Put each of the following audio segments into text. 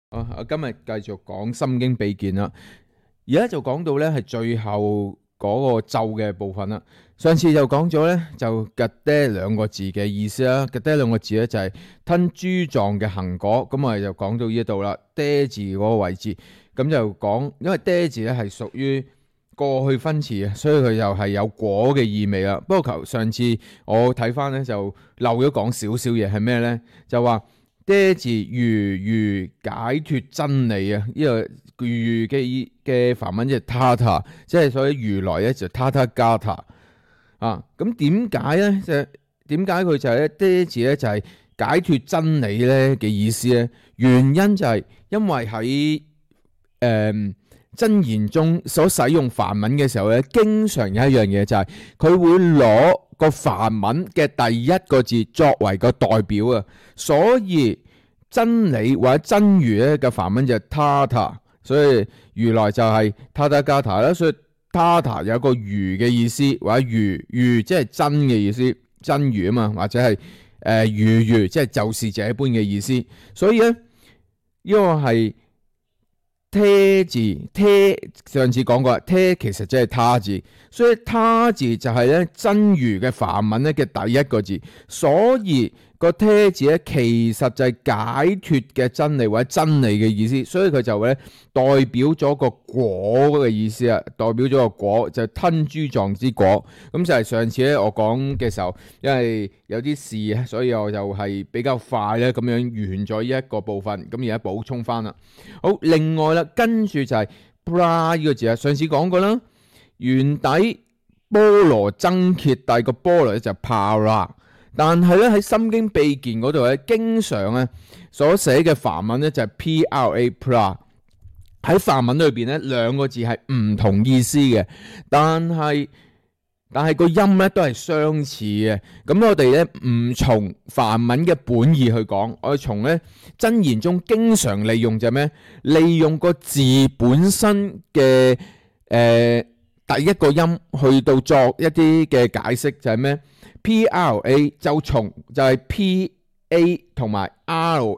我今日繼續講心經秘見啦，而家就講到咧係最後嗰個咒嘅部分啦。上次就講咗咧就吉爹兩個字嘅意思啦，吉爹兩個字咧就係吞珠狀嘅行果，咁我哋就講到呢度啦。爹字嗰個位置，咁就講，因為爹字咧係屬於過去分詞啊，所以佢又係有果嘅意味啦。不過上次我睇翻咧就漏咗講少少嘢，係咩咧？就話爹字如解脱真理啊！呢個如嘅梵文即係 Tata， 即係所以如來咧就 Tathagata 啊。咁點解咧？點解佢就係咧爹字咧就係解脱真理咧嘅意思咧？原因就係因為喺真言中所使用梵文嘅時候咧，經常有一樣嘢就係佢會攞個梵文嘅第一個字作為個代表啊，所以真理或者真如咧嘅梵文就係 Tata， 所以如來就係 Tathagata 啦，所以 Tata 有一個如嘅意思，或者如即係真嘅意思，真如啊嘛，或者係如即係就是這般嘅意思，所以咧呢個係爹字，爹上次講過，爹其實即係他字，所以他字就係咧真如嘅梵文咧嘅第一個字，所以個爹字咧其實就係解脱嘅真理或者真理嘅意思，所以佢就咧代表咗個果嘅意思啊，代表咗個果就係吞珠狀之果。咁就係上次咧我講嘅時候，因為有啲事，所以我就係比較快咧咁樣完咗呢一個部分，咁而家補充翻啦。好，另外啦，跟住就係 pra 呢個字啊，上次講過啦，原底波羅僧揭諦個波羅咧就 para。但係咧喺心經秘見嗰度咧，經常咧所寫嘅梵文咧就係 pra。喺梵文裏邊咧兩個字係唔同意思嘅，但係個音咧都係相似嘅。咁我哋咧唔從梵文嘅本意去講，我哋從咧真言中經常利用就係咩？利用個字本身嘅第一個音去到作一啲嘅解釋，就係咩？pra 就係 pa 同埋 ra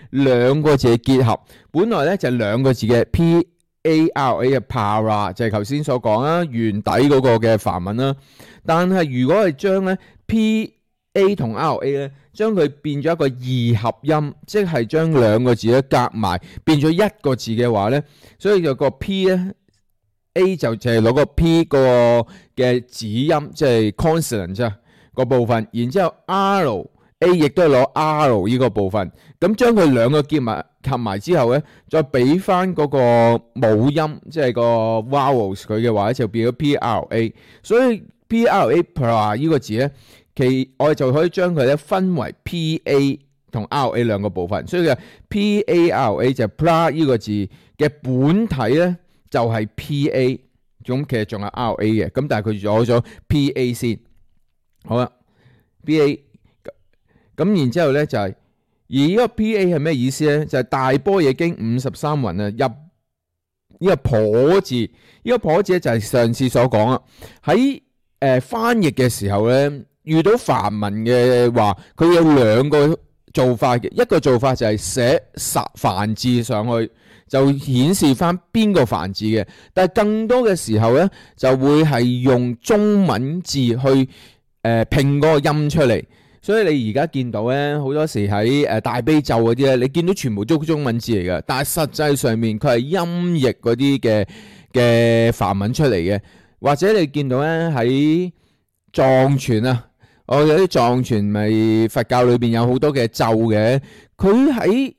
兩個字嘅結合，本來咧就係兩個字嘅 para 嘅 para， 就係頭先所講啦，原底嗰個嘅梵文啦。但係如果係將咧 pa 同 ra 咧，將佢變咗一個二合音，即係將兩個字咧夾埋變咗一個字嘅話咧，所以就個 p 咧 a 就係攞個 p 個嘅子音，即係 consonant 啫。個部分，然之後 R A 亦都係攞 R 呢個部分，咁將佢兩個合埋之後咧，再俾翻嗰個母音，即係個 vowels 佢嘅話咧，就變咗 P R A。所以 P R A pra 呢個字咧，我哋就可以將佢咧分為 P A 同 R A 兩個部分。所以嘅 P A R A 就係 pra 呢個字嘅本體咧，就係 P A， 咁其實仲有 R A 嘅，咁但係佢攞咗 P A 先。好啦 ，PA 咁然之後咧就係，而呢個 PA 係咩意思咧？就係大般若經53雲啊，入呢個婆字，呢個婆字咧就係上次所講啊。喺翻譯嘅時候咧，遇到梵文嘅話，佢有兩個做法嘅，一個做法就係寫梵字上去，就顯示翻邊個梵字嘅，但係更多嘅時候咧，就會係用中文字去拼嗰個音出嚟，所以你而家見到咧，好多時喺大悲咒嗰啲咧，你見到全部都中文字嚟嘅，但係實際上面佢係音譯嗰啲嘅梵文出嚟嘅，或者你見到咧喺藏傳啊，我有啲藏傳咪佛教裏邊有好多嘅咒嘅，佢喺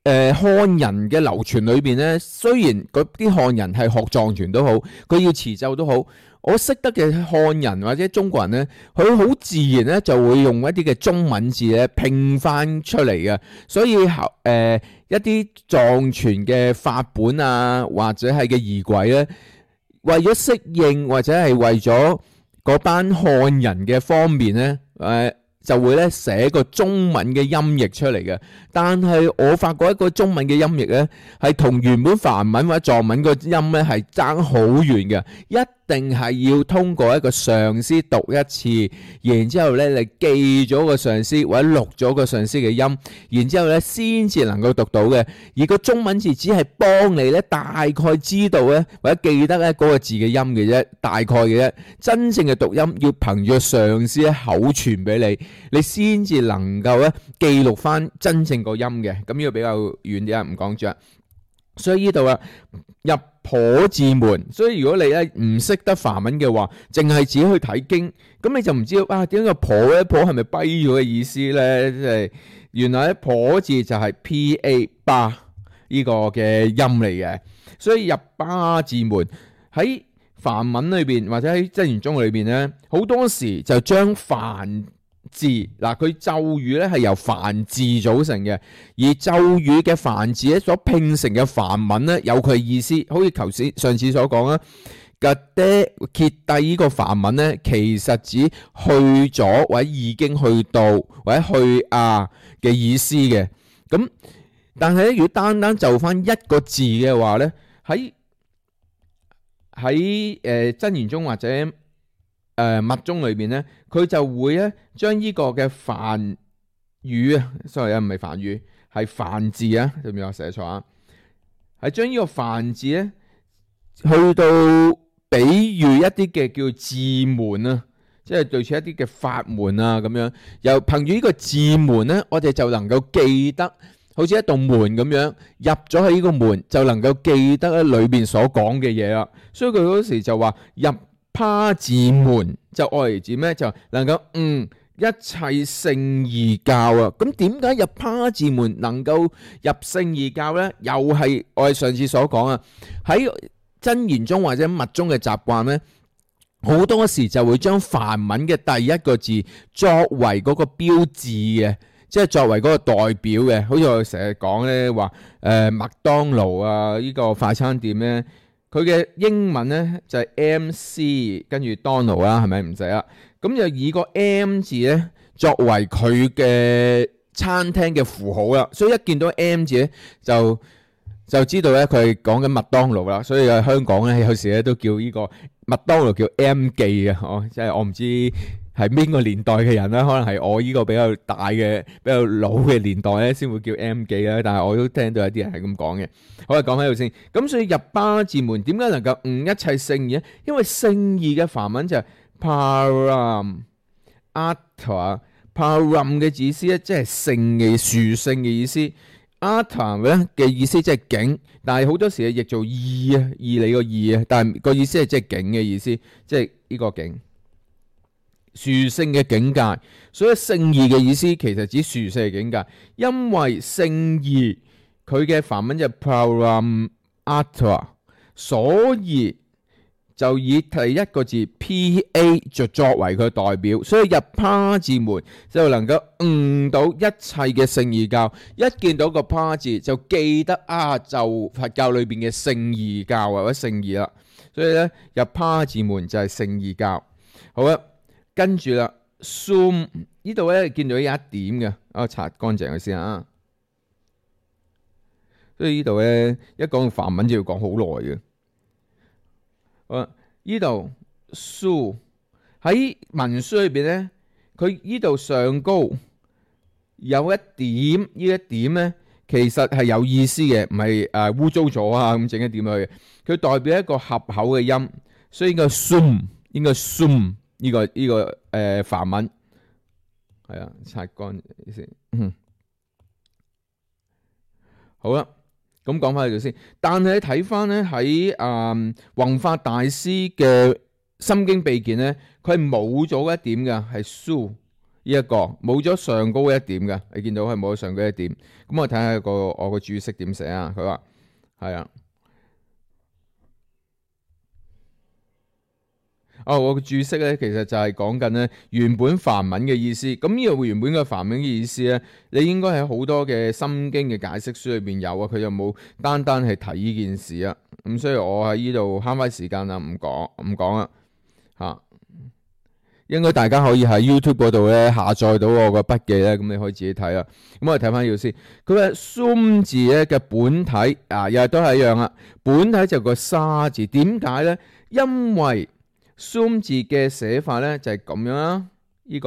漢人嘅流傳裏邊咧，雖然嗰啲漢人係學藏傳都好，佢要持咒都好。我識得嘅漢人或者中國人咧，佢好自然咧就會用一啲嘅中文字咧拼翻出嚟嘅，所以一啲藏傳嘅法本啊，或者係嘅儀軌咧，為咗適應或者係為咗嗰班漢人嘅方面咧，就會咧寫個中文嘅音譯出嚟嘅。但係我發覺一個中文嘅音譯咧，係同原本梵文或者藏文個音咧係爭好遠嘅。一定係要通過一個上司讀一次，然之後咧你記咗個上司或者錄咗個上司嘅音，然之後咧先至能夠讀到嘅。而個中文字只係幫你咧大概知道咧或者記得咧嗰個字嘅音嘅啫，大概嘅啫。真正嘅讀音要憑住上司口傳俾你，你先至能夠咧記錄翻真正個音嘅。咁呢個比較遠啲啊，唔講住。所以呢度啊，入婆字門，所以如果你咧唔識得梵文嘅話，淨係自己去睇經，咁你就唔知道啊點解個婆咧婆係咪跛咗嘅意思咧？即係原來咧婆字就係 pa 巴呢個嘅音嚟嘅，所以入巴字門喺梵文裏邊或者喺真言宗裏邊咧，好多時就將梵字嗱，佢咒語咧係由梵字組成嘅，而咒語嘅梵字咧所拼成嘅梵文咧有佢嘅意思，好似頭先上次所講啦，格爹揭帝呢個梵文咧，其實指去咗或者已經去到或者去嘅意思嘅。咁但係咧，如果單單就翻一個字嘅話咧，喺真言宗或者密宗裏邊咧，佢就會咧將呢個嘅梵語啊，sorry啊，唔係梵語，係梵字啊，對唔對啊？寫錯啊，係將呢個梵字咧去到比喻一啲嘅叫字門啊，即係類似一啲嘅法門啊咁樣。又憑住呢個字門咧，我哋就能夠記得，好似一道門咁樣，入咗喺呢個門就能夠記得咧裏邊所講嘅嘢啦。所以佢嗰時就話入他字門就愛嚟指咩？就能夠一切聖義教啊！咁點解入他字門能夠入聖義教呢？又係我哋上次所講啊，喺真言宗或者密宗嘅習慣呢，好多時就會將梵文嘅第一個字作為嗰個標誌嘅，即係作為嗰個代表嘅。好似我成日講呢話，麥當勞啊呢個快餐店呢。佢嘅英文咧就係 MC 跟住 Donald 啦，係咪唔使啦？咁就以個 M 字咧作為佢嘅餐廳嘅符號啦，所以一見到 M 字咧就知道咧佢係講緊麥當勞啦。所以喺香港咧有時咧都叫呢個麥當勞叫 M 記嘅，即係我唔知係邊個年代嘅人啦，可能係我呢個比較大嘅、比較老嘅年代咧先會叫 M 記啦。但係我都聽到有啲人係咁講嘅。好啦，講喺度先。咁所以入巴字門點解能夠悟一切聖義咧？因為聖義嘅梵文就係 param atta param 嘅意思咧，即係聖嘅殊聖嘅意思。atta 咧嘅意思即係境，但係好多時係譯做義啊，義你個義啊，但係個意思係即係境嘅意思，即係呢個境。殊聖嘅境界，所以聖義嘅意思其實指殊聖嘅境界，因為聖義佢嘅梵文就 Paramatma， 所以就以第一個字 Pa 就作為佢代表，所以入他字門就能夠悟到一切嘅聖義教。一見到個他字就記得就佛教裏邊嘅聖義教或者聖義啦。所以咧入他字門就係聖義教。好啦。跟住啦 ，zoom 呢度咧見到有一點嘅，我擦乾淨佢先啊。所以呢度咧一講到梵文就要講好耐嘅。好，呢度 su 喺文書裏邊咧，佢呢度上高有一點，呢一點咧其實係有意思嘅，唔係污糟咗啊咁整一點去。佢代表一個合口嘅音，所以應該 zoom。呢個梵文係啊，擦乾先。好啦，咁講翻呢度先。但係睇翻咧喺弘法大師嘅心經秘見咧，佢係冇咗一點嘅，係 su 呢一個冇咗上高一點嘅。你見到係冇咗上高一點。咁我睇下我個注釋點寫啊。佢話係啊。我嘅注釋咧，其實就係講緊咧原本梵文嘅意思。咁呢個原本嘅梵文嘅意思咧，你應該喺好多嘅心經嘅解釋書裏邊有啊。佢就冇單單係提呢件事啊。咁所以我喺呢度慳翻時間啦，唔講啦嚇。應該大家可以喺 YouTube 嗰度咧下載到我個筆記咧，咁你可以自己睇啦。咁我哋睇翻呢度先。佢嘅 Sum 字咧嘅本體又係都係一樣啦。本體就個沙字，點解咧？因為 Zoom 字嘅寫法咧就係咁樣啦。呢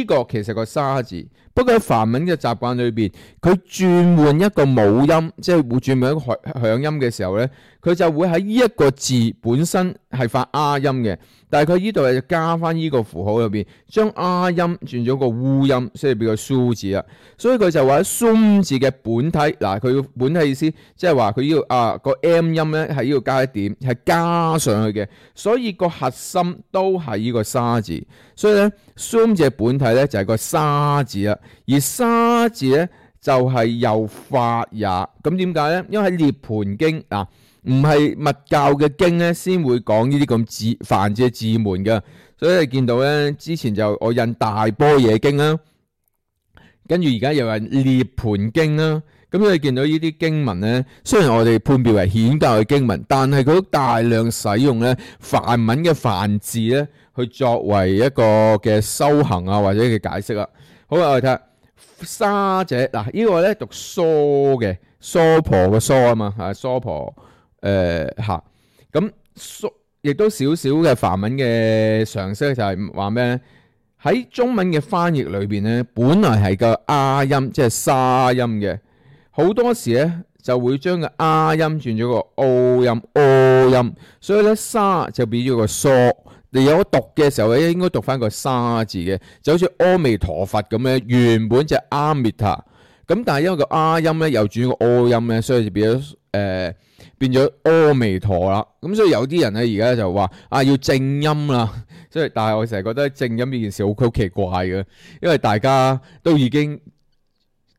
個其實個沙字，不過喺梵文嘅習慣裏邊，佢轉換一個母音，即係會轉換一個響音嘅時候咧，佢就會喺呢一個字本身係發 R 音嘅，但係佢呢度就加翻呢個符號入邊，將 R 音轉咗個烏音，所以變個蘇字啦。所以佢就話喺 Zoom 字嘅本體，嗱佢本體意思即係話佢呢度個 M 音咧係呢度加一點，係加上去嘅，所以個核心都係呢個沙字。所以咧 Zoom 字嘅本體咧就係個沙字啦，而沙字咧就係又法也。咁點解咧？因為喺涅槃經嗱，唔係密教嘅經咧先會講呢啲咁梵字嘅字門嘅。所以你見到咧，之前就我印大般若經啦，跟住而家又係涅槃經啦。咁你見到呢啲經文咧，雖然我哋判別為顯教嘅經文，但係佢都大量使用咧梵文嘅梵字咧，去作為一個嘅修行啊，或者嘅解釋啊。好啦，我哋睇下沙者嗱，呢個咧讀疏嘅疏婆嘅疏啊嘛，係疏婆嚇。咁疏亦都少少嘅梵文嘅常識就係話咩咧？喺中文嘅翻譯裏邊咧，本來係個 R 音，即係沙音嘅。好多時咧就會將個 R 音轉咗個 O 音 O 音，所以咧沙就變咗個疏。你有讀嘅時候咧，應該讀翻個沙字嘅，就好似阿彌陀佛咁咧，原本就係阿彌陀，咁但係因為個 R 音咧又轉個 O 音咧，所以就變咗阿彌陀啦。咁所以有啲人咧而家就話要正音啦，所以但係我成日覺得正音呢件事好奇怪嘅，因為大家都已經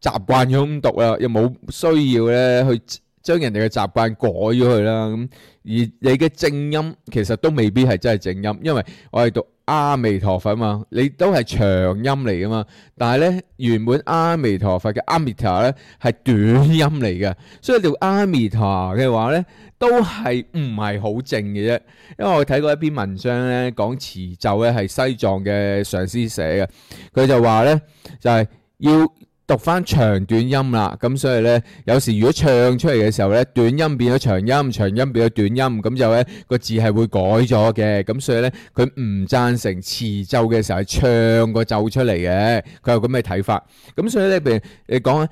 習慣咗咁讀啦，又冇需要咧去將人哋嘅習慣改咗佢啦。咁而你嘅正音其實都未必係真係正音，因為我係讀阿彌陀佛嘛，你都係長音嚟噶嘛。但係咧原本阿彌陀佛嘅阿彌陀咧係短音嚟嘅，所以讀阿彌陀嘅話咧都係唔係好正嘅啫。因為我睇過一篇文章咧講持咒咧係西藏嘅上師寫嘅，佢就話咧就係要讀翻長短音啦，咁所以咧有時如果唱出嚟嘅時候咧，短音變咗長音，長音變咗短音，咁就咧個字係會改咗嘅。咁所以咧佢唔贊成持咒嘅時候係唱個咒出嚟嘅，佢有咁嘅睇法。咁所以咧，譬如你講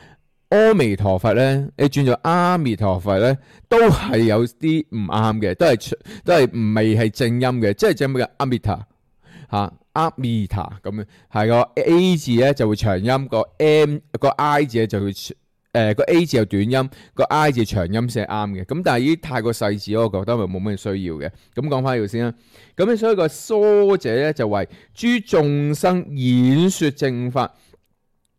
阿彌陀佛咧，你轉做阿彌陀佛咧，都係有啲唔啱嘅，都係唔未係正音嘅，即係正咩嘅阿彌陀嚇。阿彌陀咁樣，係個 A 字咧就會長音，個 I 字咧就會個 A 字有短音，個 I 字長音先係啱嘅。咁但係呢啲太過細緻，我覺得咪冇咩需要嘅。咁講翻呢度先啦。咁所以個疏者咧就為諸眾生演說正法，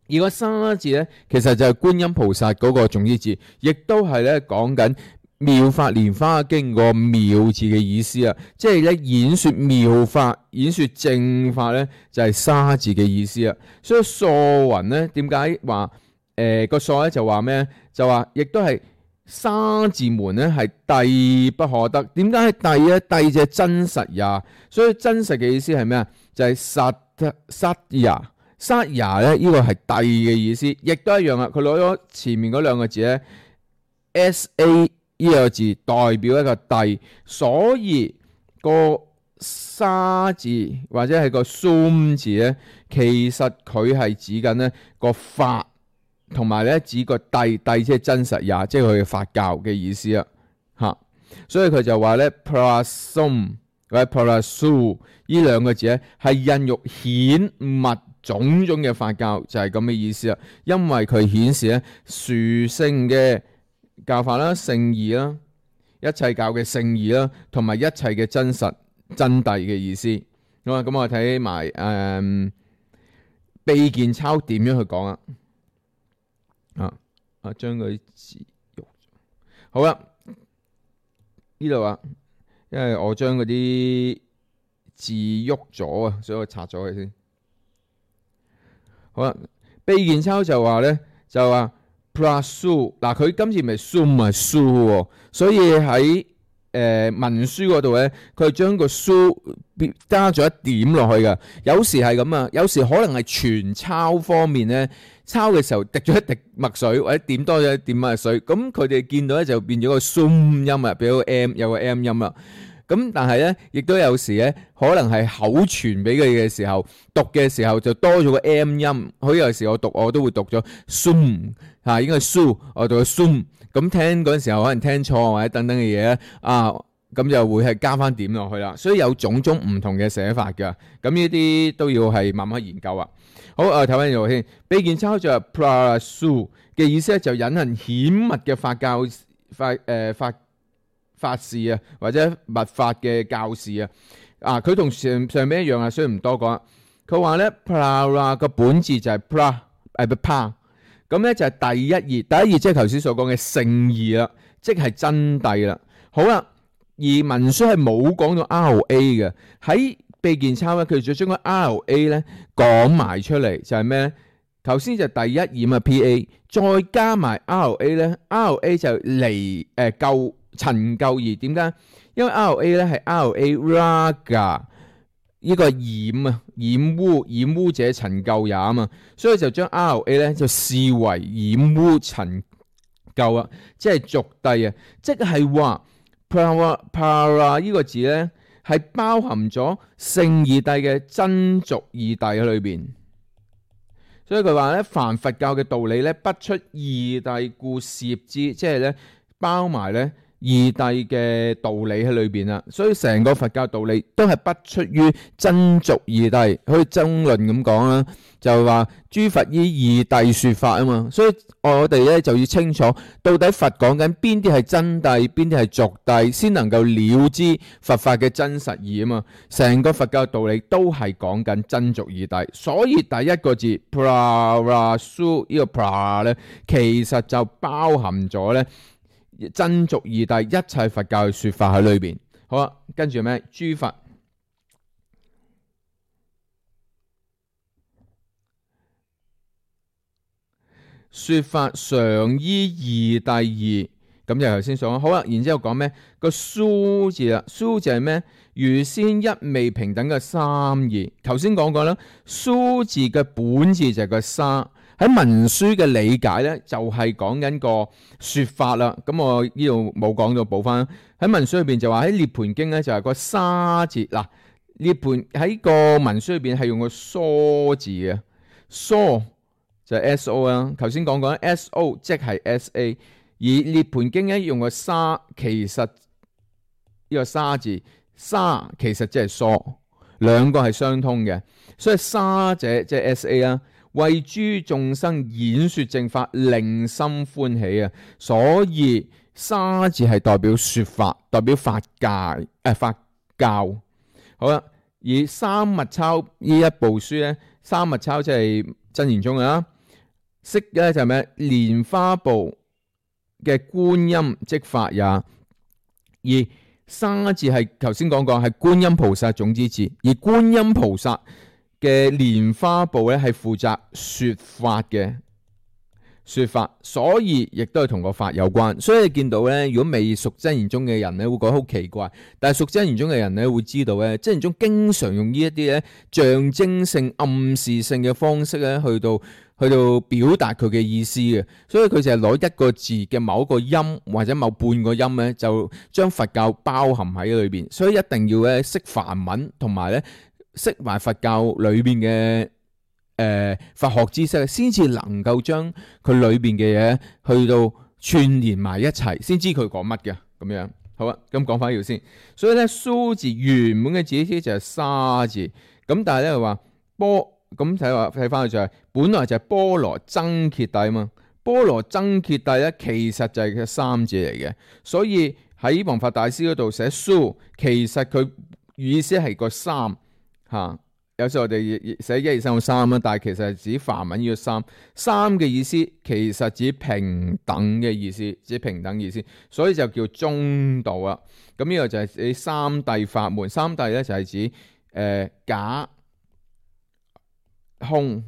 而個沙字咧其實就係觀音菩薩嗰個種子字，亦都係咧講緊妙法蓮華經個妙字嘅意思啊，即係咧演說妙法、演說正法咧就係沙字嘅意思啊。所以疏云咧點解話個疏咧就話咩？就話亦都係沙字門咧係諦不可得。點解係諦咧？諦就係真實也，所以真實嘅意思係咩啊？就係實也。實也咧呢個係諦嘅意思，亦都一樣啊。佢攞咗前面嗰兩個字咧 SA。呢個字代表一個諦，所以個沙字或者係個 Zoom 字咧，其實佢係指緊咧個法，同埋咧指個諦，諦即係真實也，即係佢嘅法教嘅意思啊嚇。所以佢就話咧 Prasum 或者 Prasu 呢兩個字咧係孕育顯密種種嘅法教，就係咁嘅意思啊。因為佢顯示咧殊勝嘅教法啦、聖義啦、一切教嘅聖義啦，同埋一切嘅真實真諦嘅意思。好啊，咁我睇埋秘鍵抄點樣去講啊？將嗰啲字喐。好啦，呢度啊，因為我將嗰啲字喐咗啊，所以我拆咗佢先。好啦，秘鍵抄就話咧，就話。Prasu 嗱，佢今次咪 Zoom 係 Su 喎，所以喺文書嗰度咧，佢將個 Su 加咗一點落去㗎。有時係咁啊，有時可能係傳抄方面咧，抄嘅時候滴咗一滴墨水，或者點多咗一點墨水，咁佢哋見到咧就變咗個 Zoom 音啊，變咗個 M 有個 M 音啦。咁但係咧，亦都有時咧，可能係口傳俾佢嘅時候，讀嘅時候就多咗個 M 音。好有時我讀我都會讀咗 soon 嚇，應該係 su，我讀咗 soon。咁聽嗰陣時候可能聽錯或者等等嘅嘢咧，咁就會係加翻點落去啦。所以有種種唔同嘅寫法㗎。咁呢啲都要係慢慢研究啊。好，睇翻呢度先。秘見抄就係 prasu 嘅意思咧，就隱恨顯密嘅法事啊，或者密法嘅教士啊，佢同上邊一樣啊，所以唔多講。佢話咧 pra 個本字就係 pra，咁咧就係第一義，第一義即係頭先所講嘅聖義啦，即係真諦啦。好啦，而文書係冇講到 RA 嘅，喺秘見抄咧，佢就將個 RA 咧講埋出嚟，就係咩咧？頭先就第一義嘛 PA， 再加埋 RA 咧 ，RA 就離救。陳救義點解？因為 RA 咧係 RA raga 呢個染污者陳救也啊嘛，所以就將 RA 咧就視為染污陳救啊，即係俗諦啊，即係話 para 呢個字咧係包含咗聖義諦嘅真俗義諦喺裏邊，所以佢話咧凡佛教嘅道理咧不出義諦故攝之，即係咧包埋咧。義諦嘅道理喺裏邊啦，所以成個佛教道理都係不出於真俗義諦，好似爭論咁講啦，就係話諸佛依義諦說法啊嘛，所以我哋咧就要清楚到底佛講緊邊啲係真諦，邊啲係俗諦，先能夠了知佛法嘅真實義啊嘛。成個佛教道理都係講緊真俗義諦，所以第一個字 prasu 呢個 pra 咧，其實就包含咗咧。真俗義諦一切佛教嘅說法喺裏邊。好啦，跟住咩？諸佛說法常依義諦義，咁就頭先所講。好啦，然之後講咩？個蘇字啦，蘇字係咩？如先一味平等嘅三義。頭先講過啦，蘇字嘅本字就係個沙。喺文書嘅理解咧，就係講緊個說法啦。咁我呢度冇講到，補翻喺文書裏邊就話喺涅槃經咧就係個沙字嗱，涅槃喺個文書裏邊係用個疏字嘅，疏就係 SO 啦。頭先講過 SO 即係 SA， 而涅槃經咧用個沙，其實呢個沙字沙其實即係疏，兩個係相通嘅，所以沙者即係 SA 啦。為諸眾生演說正法，令心歡喜啊！所以沙字係代表說法，代表法教。好啦，而三密鈔呢一部書咧，三密鈔即係真言宗啊。釋咧就係咩？蓮花部嘅觀音即法也。而沙字係頭先講過係觀音菩薩種子字，而觀音菩薩嘅蓮花部咧係負責說法，所以亦都係同個法有關。所以你見到咧，如果未熟真言宗嘅人咧，會覺得好奇怪；但係熟真言宗嘅人咧，會知道咧，真言宗經常用呢一啲咧象徵性、暗示性嘅方式咧，去到表達佢嘅意思嘅。所以佢就係攞一個字嘅某一個音或者某半個音咧，就將佛教包含喺裏邊。所以一定要咧識梵文，同埋咧識埋佛教裏邊嘅佛學知識，先至能夠將佢裏邊嘅嘢去到串連埋一齊，先知佢講乜嘅咁樣。好啊，咁講翻呢度先。所以咧，蘇字原本嘅字意就係沙字，咁但係咧話波咁睇翻去就係本來就係波羅僧揭諦啊嘛。波羅僧揭諦咧，其實就係個三字嚟嘅。所以喺弘法大師嗰度寫蘇，其實佢意思係個三。有時候我哋寫1、2、3、3啦，但係其實係指梵文呢個三嘅意思，其實指平等嘅意思，所以就叫中道啦。咁呢個就係指三諦法門，三諦咧就係指假空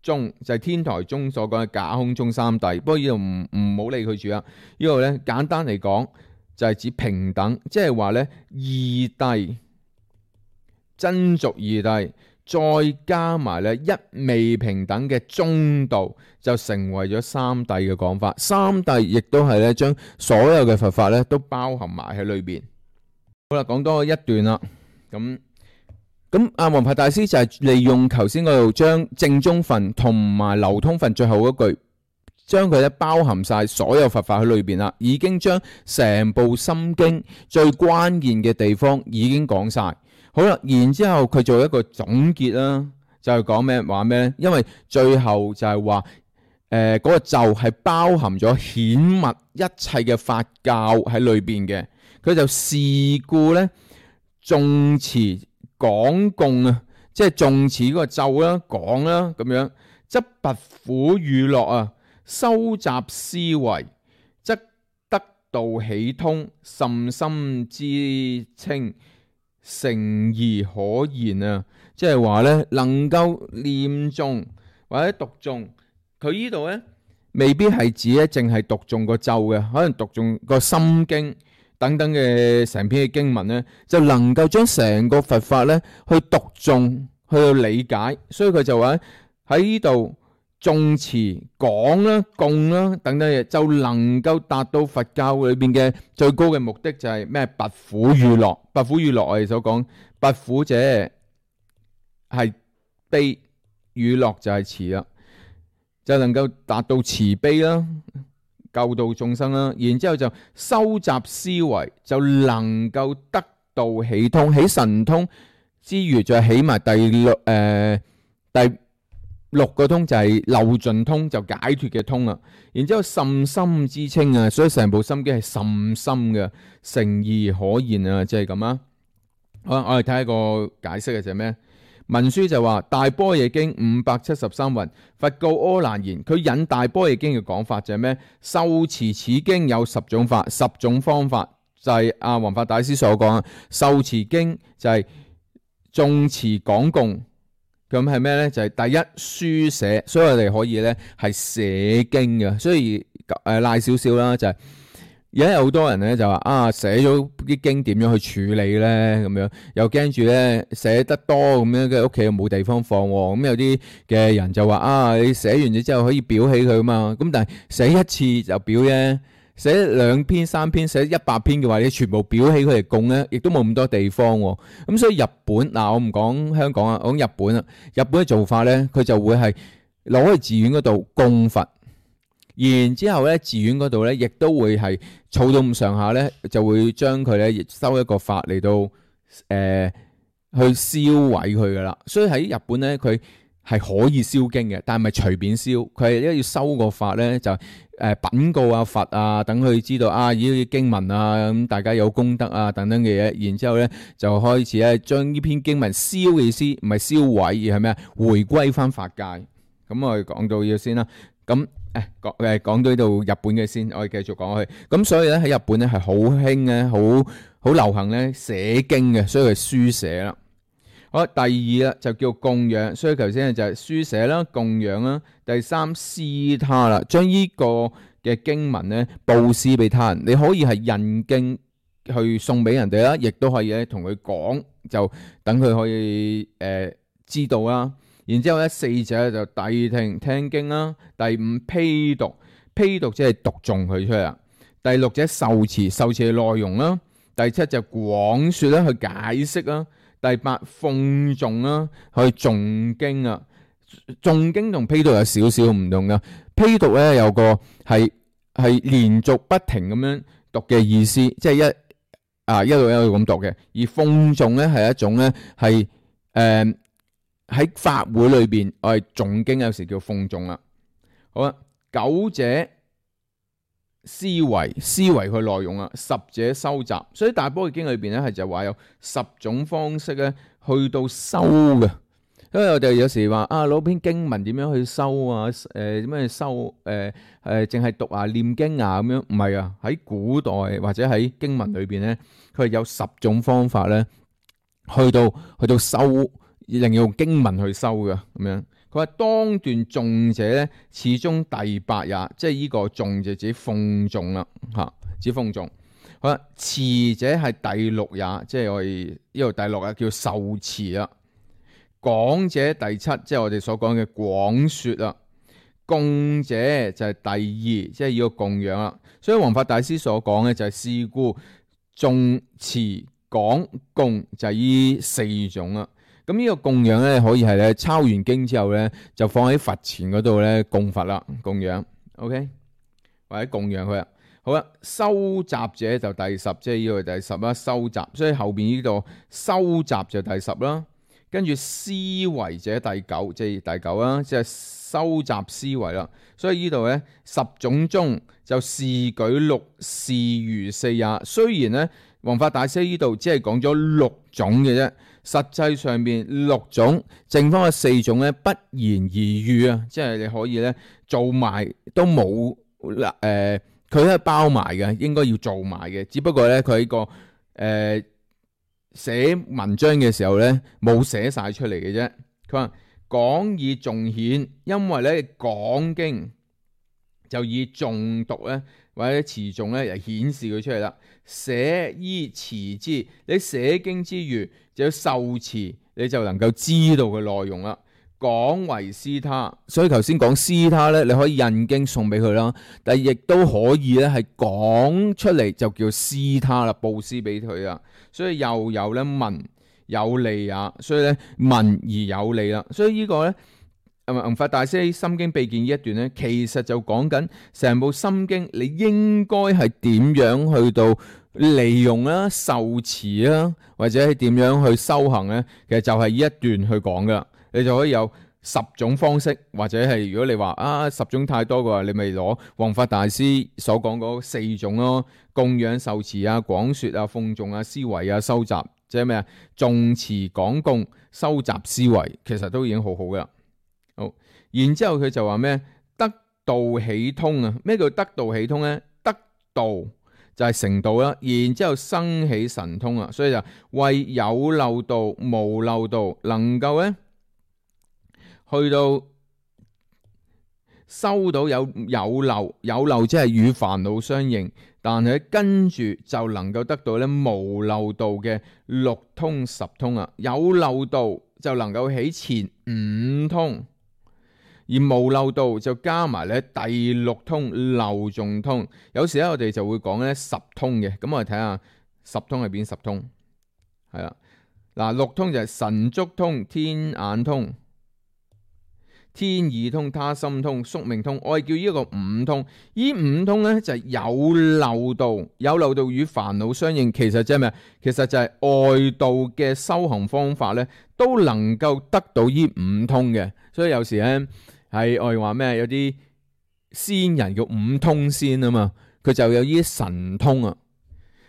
中，就係天台宗所講嘅假空中三諦。不過呢度唔好理佢住啦。呢度咧簡單嚟講就係指平等，即係話咧義諦。真俗義諦，再加埋咧一味平等嘅中道，就成為咗三諦嘅講法。三諦亦都係咧將所有嘅佛法咧都包含埋喺裏邊。好啦，講多一段啦。咁阿弘法大師就係利用頭先嗰度將正宗分同埋流通分最後嗰句，將佢咧包含晒所有佛法喺裏邊啦，已經將成部心經最關鍵嘅地方已經講晒。好啦，然之後佢做一個總結啦，就係講咩話咩咧？因為最後就係話嗰個咒係包含咗顯密一切嘅法教喺裏邊嘅，佢就事故咧誦持講供啊，即係誦持嗰個咒啦、講啦咁樣，則拔苦與樂啊，收集思維，則得道喜通，甚深知清，誠而可言啊！即係話咧，能夠念誦或者讀誦，佢呢度咧未必係指咧淨係讀誦個咒嘅，可能讀誦個心經等等嘅成篇嘅經文咧，就能夠將成個佛法咧去讀誦，去到理解。所以佢就話喺呢度誦持講啦、供啦等等嘢，就能夠達到佛教裏邊嘅最高嘅目的，就係咩？拔苦與樂。拔苦與樂，我哋所講，拔苦者係悲，與樂就係慈啦，就能夠達到慈悲啦，救度眾生啦。然之後就收集思維，就能夠得到喜通。起神通之餘，再起埋第六個通，就係漏盡通，就解脫嘅通啦。然之後甚深知清啊，所以成部心經係甚深嘅，誠而可言啊，即係咁啊。好，我哋睇下個解釋嘅就係咩？文書就話大般若經573云，佛告阿難言，佢引大般若經嘅講法就係咩？受持此經有10種法，10種方法，就係阿弘法大師所講啊。受持經就係誦持講供。咁係咩咧？就係第一書寫，所以我哋可以咧係寫經嘅。所以賴少少啦，就係而家有好多人咧就話寫咗啲經點樣去處理咧？咁樣又驚住咧寫得多咁樣嘅屋企又冇地方放。咁有啲嘅人就話你寫完咗之後可以裱起佢啊嘛。咁但係寫一次就裱啫。寫2篇3篇，寫100篇嘅話，你全部裱起佢嚟供咧，亦都冇咁多地方。咁所以日本我唔講香港啊，我講日本啊。日本嘅做法咧，佢就會係攞去寺院嗰度供佛，然之後咧寺院嗰度咧亦都會係儲到咁上下咧，就會將佢咧收一個法嚟到去燒毀佢噶啦。所以喺日本咧，佢係可以燒經嘅，但係唔係隨便燒，佢係要收個法咧就稟告佛啊，等佢知道呢啲經文啊，咁大家有功德啊等等嘅嘢，然之後咧就開始咧將呢篇經文燒嘅意思，唔係燒毀，而係咩？回歸翻法界。咁我哋講到要先啦。咁講到呢度日本嘅先，我哋繼續講去。咁所以咧喺日本咧係好興咧，好流行咧寫經嘅，所以係書寫啦。好，第二啦就叫供養，所以頭先就係書寫啦、供養啦。第3施他啦，將呢個嘅經文咧布施俾他人，你可以係印經去送俾人哋啦，亦都可以咧同佢講，就等佢可以知道啦。然之後咧4者就諦聽聽經啦，第5披讀，披讀即係讀誦佢出嚟啦。第6者受持，受持嘅內容啦。第7就廣說啦，去解釋啦。第8諷誦啦，去誦經啊。誦經同披讀有少少唔同噶。披讀咧有個係連續不停咁樣讀嘅意思，即係一路咁讀嘅。而諷誦咧係一種咧係喺法會裏邊我哋誦經，有時叫諷誦啦。好啦，9者思維佢內容啊，10者收集。所以大般若經裏邊咧係就話有10種方式咧去到收嘅。因為我哋有時話攞篇經文點樣去收啊？點樣去收？淨係讀念經咁樣，唔係啊。喺古代或者喺經文裏邊咧，佢係有10種方法咧，去到收，令用經文去收嘅咁樣。佢話當段誦者咧，始終第8也，即係呢個誦就指諷誦啦，指諷誦。好啦，持者係第6也，即係我哋呢度第6啊，叫受持啦。講者第7，即係我哋所講嘅廣說啦。供者就係第2，即係要供養啦。所以弘法大師所講嘅就係是故誦持講供就係呢4種啦。咁呢個供養咧可以係咧抄完經之後咧就放喺佛前嗰度咧供佛啦，供養 ，OK， 或者供養佢啦。好啦，收集者就第10，即係呢個第10啦，收集，所以後邊呢度收集就第10啦。跟住思維者第9，即係第9啦，即係收集思維啦。所以呢度咧10種中就示舉6，是餘4也。雖然咧弘法大師呢度只係講咗6種嘅啫，實際上邊6種，剩翻嘅4種咧不言而喻啊，即係你可以咧做埋都冇佢係包埋嘅，應該要做埋嘅，只不過咧佢喺個寫文章嘅時候咧冇寫晒出嚟嘅啫。佢話講以重顯，因為咧講經就以重讀咧或者詞重咧嚟顯示佢出嚟啦。寫依詞之，你寫經之餘就要受詞，你就能夠知道嘅內容啦。講為施他，所以頭先講施他咧，你可以印經送俾佢啦，但係亦都可以咧係講出嚟就叫施他啦，布施俾佢啦。所以又有咧文有利也，所以咧文而有利啦。所以呢個咧弘法大師喺心經秘見呢一段咧，其實就講緊成部心經你應該係點樣去到利用啦、受持啦，或者係點樣去修行咧，其實就係呢一段去講噶。你就可以有10種方式，或者係如果你話10種太多嘅話，你咪攞弘法大師所講嗰4種咯，供養、受持啊、廣說啊、諷誦啊、思維啊、收集，即係咩啊？誦持講供、收集思維，其實都已經好好噶啦。好，然之後佢就話咩？得道起通啊！咩叫得道起通咧？得道就係成道啦，然之後生起神通啊，所以就為有漏道、無漏道，能夠咧去到收到有漏，有漏即係與煩惱相應，但係跟住就能夠得到咧無漏道嘅6通10通啊。有漏道就能夠起前5通，而無漏道就加埋咧第6通漏盡通。有時咧我哋就會講咧10通嘅，咁我哋睇下10通係邊10通？係啦，嗱6通就係神足通、天眼通、天耳通、他心通、宿命通，我哋叫呢一個5通。呢5通咧就係有漏道，有漏道與煩惱相應。其實即係咩？其實就係外道嘅修行方法咧，都能夠得到呢5通嘅。所以有時咧係我哋話咩？有啲仙人叫5通仙啊嘛，佢就有呢啲神通啊。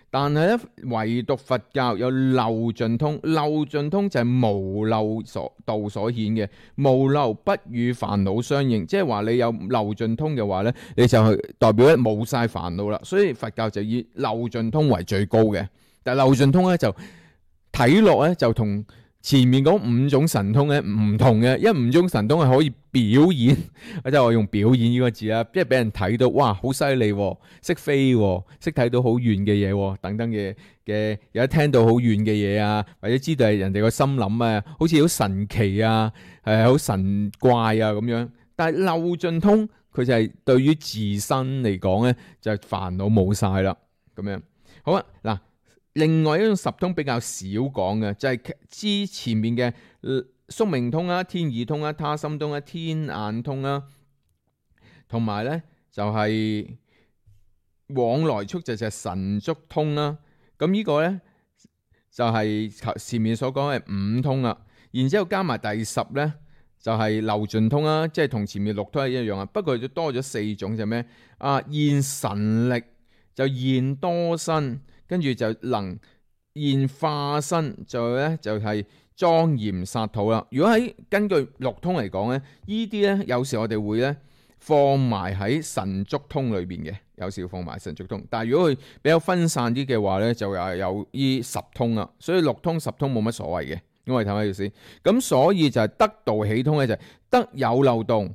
但係咧，唯獨佛教有漏盡通，漏盡通就係無漏道所顯嘅，無漏不與煩惱相應，即係話你有漏盡通嘅話咧，你就係代表咧冇晒煩惱啦。所以佛教就以漏盡通為最高嘅，但係漏盡通咧就睇落咧就同前面嗰5種神通咧唔同嘅，因為5種神通係可以表演，即係我用表演呢個字啦，即係俾人睇到，哇，好犀利，識飛，識睇到好遠嘅嘢，等等嘅，有得聽到好遠嘅嘢啊，或者知道係人哋個心諗啊，好似好神奇啊，好神怪啊咁樣。但係漏盡通佢就係對於自身嚟講咧，就係煩惱冇晒啦，咁樣。好啊，嗱。另外一種10通比較少講嘅，就係之前面嘅宿命通啦、天耳通啦、他心通啦、天眼通啦，同埋咧就係往來速就係神足通啦。咁呢個咧就係前面所講嘅5通啦。然之後加埋第10咧就係漏盡通啦，即係同前面6通係一樣啊。不過就多咗4種就係咩？現神力就現多身。跟住就能現化身，就咧就係莊嚴剎土啦。如果喺根據6通嚟講咧，呢啲咧有時我哋會咧放埋喺神足通裏邊嘅，有時要放埋神足通。但係如果佢比較分散啲嘅話咧，就又有呢10通啦。所以6通10通冇乜所謂嘅，因為睇下意思。咁所以就係得道起通咧，就係得有漏道，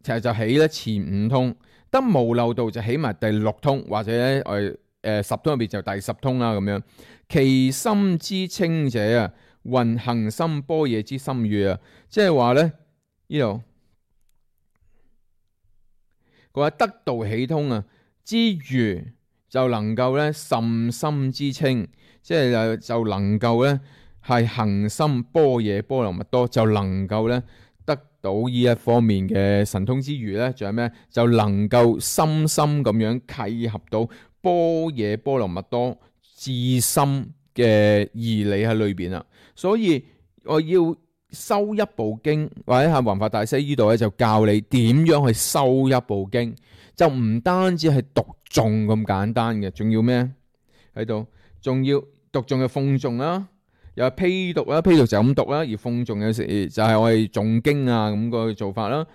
其實就起咧前5通；得無漏道就起埋第6通，或者咧10通入邊就第10通啦咁樣。其心之清者啊，云行深般若之深悅啊，即係話咧呢度佢話得道起通啊之餘，就能夠咧甚深之稱，即係就能夠咧係恒心般若波羅蜜多，就能夠咧得到呢一方面嘅神通之餘咧，仲有咩？就能夠深深咁樣契合到般若波羅蜜多至深嘅義理喺裏邊啦。所以我要修一部經，或者係弘法大師呢度咧就教你點樣去修一部經，就唔單止係讀誦咁簡單嘅，仲要咩喺度？仲要讀誦嘅諷誦啦，又係披讀啦，披讀就咁讀啦，而諷誦有時就係我哋誦經啊咁個做法啦。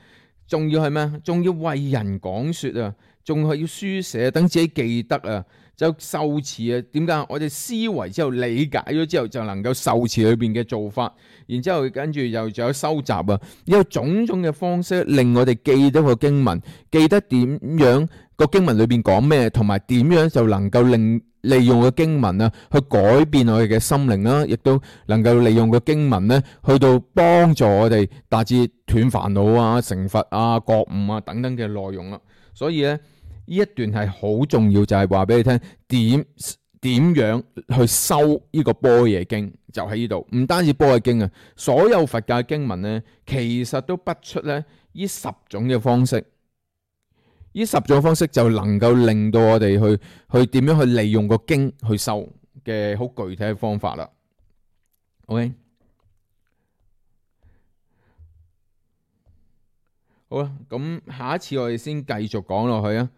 仲要係咩？仲要為人講說啊，仲係要書寫，等自己記得啊，就受持啊。點解？我哋思維之後理解咗之後，就能夠受持裏邊嘅做法，然之後跟住又仲有收集啊，有種種嘅方式令我哋記得個經文，記得點樣個經文裏邊講咩，同埋點樣就能夠利用個經文啊，去改變我哋嘅心靈啦，亦都能夠利用個經文咧，去到幫助我哋達至斷煩惱啊、成佛啊、覺悟啊等等嘅內容啦。所以咧，呢一段係好重要，就係話俾你聽點樣去修呢個般若經，就喺呢度。唔單止般若經啊，所有佛教經文咧，其實都不出咧呢10種嘅方式。呢10種方式就能夠令到我哋去點樣去利用個經去修嘅好具體嘅方法啦。OK， 好啦，咁下一次我哋先繼續講落去啊。